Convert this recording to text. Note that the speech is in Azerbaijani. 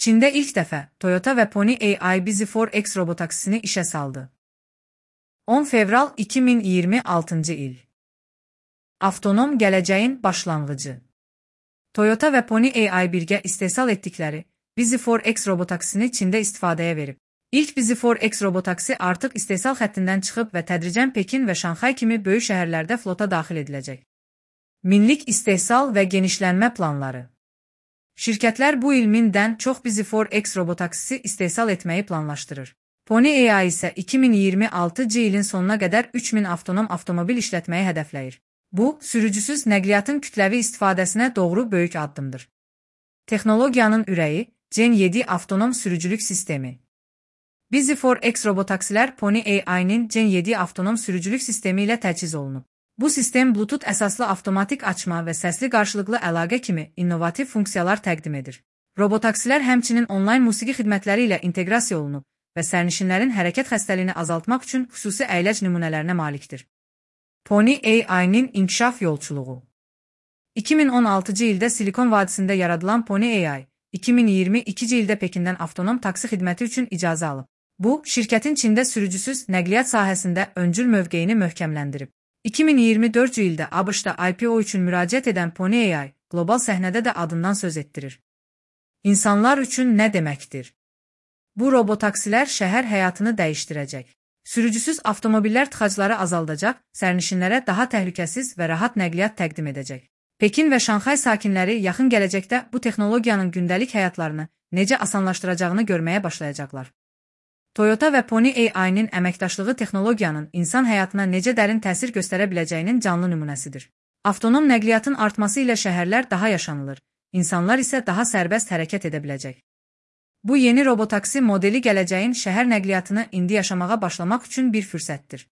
Çində ilk dəfə Toyota və Pony AI Busy4X robotaksisini işə saldı. 10 fevral 2026 il. Avtonom gələcəyin başlanğıcı. Toyota və Pony AI birgə istehsal etdikləri Busy4X robotaksisini Çində istifadəyə verib. İlk Busy4X robotaksi artıq istehsal xəttindən çıxıb və tədricən Pekin və Şanxay kimi böyük şəhərlərdə flota daxil ediləcək. Minlik istehsal və genişlənmə planları. Şirkətlər bu il 1000-dən çox Busy4X robotaksisi istehsal etməyi planlaşdırır. Pony AI isə 2026 ilin sonuna qədər 3000 avtonom avtomobil işlətməyi hədəfləyir. Bu, sürücüsüz nəqliyyatın kütləvi istifadəsinə doğru böyük addımdır. Texnologiyanın ürəyi, Gen 7 avtonom sürücülük sistemi. Busy4X robotaksilər Pony AI-nin Gen 7 avtonom sürücülük sistemi ilə təchiz olunub. Bu sistem Bluetooth əsaslı avtomatik açma və səsli qarşılıqlı əlaqə kimi innovativ funksiyalar təqdim edir. Robotaksilər həmçinin onlayn musiqi xidmətləri ilə inteqrasiya olunub və sərnişinlərin hərəkət xəstəliyini azaltmaq üçün xüsusi əyləc nümunələrinə malikdir. Pony AI-nin inkişaf yolçuluğu. 2016 ildə Silikon vadisində yaradılan Pony AI, 2022 ildə Pekindən avtonom taksi xidməti üçün icazə alıb. Bu, şirkətin Çində sürücüsüz nəqliyyat sahəsində öncül mövqeyini möhkəmləndirib. 2024 ildə ABŞ-da IPO üçün müraciət edən Pony AI, qlobal səhnədə də adından söz etdirir. İnsanlar üçün nə deməkdir? Bu robotaksilər şəhər həyatını dəyişdirəcək. Sürücüsüz avtomobillər tıxacları azaldacaq, sərnişinlərə daha təhlükəsiz və rahat nəqliyyat təqdim edəcək. Pekin və Şanxay sakinləri yaxın gələcəkdə bu texnologiyanın gündəlik həyatlarını necə asanlaşdıracağını görməyə başlayacaqlar. Toyota və Pony AI-nin əməkdaşlığı texnologiyanın insan həyatına necə dərin təsir göstərə biləcəyinin canlı nümunəsidir. Avtonom nəqliyyatın artması ilə şəhərlər daha yaşanılır, insanlar isə daha sərbəst hərəkət edə biləcək. Bu yeni robotaksi modeli gələcəyin şəhər nəqliyyatını indi yaşamağa başlamaq üçün bir fürsətdir.